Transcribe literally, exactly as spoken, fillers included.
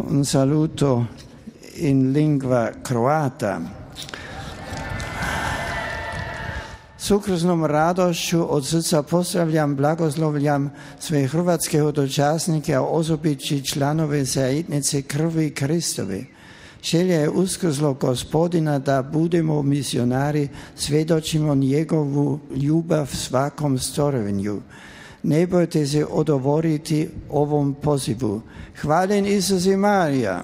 Un saluto in lingua croata. S ukrusnom radošću od srca pozdravljam, blagoslovljam sve hrvatske hodočasnike, a osobići članove zajednice krvi Kristove. Želja je uskrslog Gospodina da budemo misionari, svjedočimo njegovu ljubav svakom stvorenju. Ne bojte se odovoriti ovom pozivu. Hvaljen Isus i Marija.